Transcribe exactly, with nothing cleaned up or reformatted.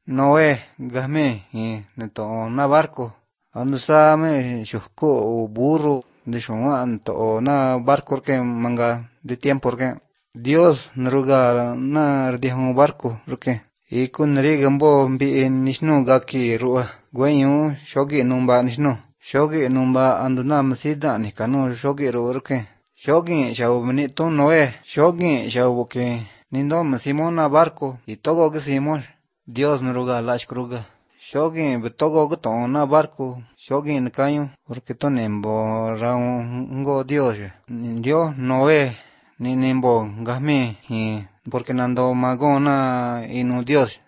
Noé gahme y neto na barco ando same shuko burro de shuman to na barco que manga de tiempo que Dios naruga na rdihon barco ruke y kun rigambo bi nishnu gaki ruwa gwenyu shogi numba nishnu shogi numba ando na masida ni kanu shogi ruke shogi shaubni to Noé shogi shaubuke nindo simona barco y todo que simon Dios naruga lashkruga shogi betogo guton na barco shogi nkayo porque to nembo raungo Dios Dios Noé ni nimbo gahmi y porque nando magona inu Dios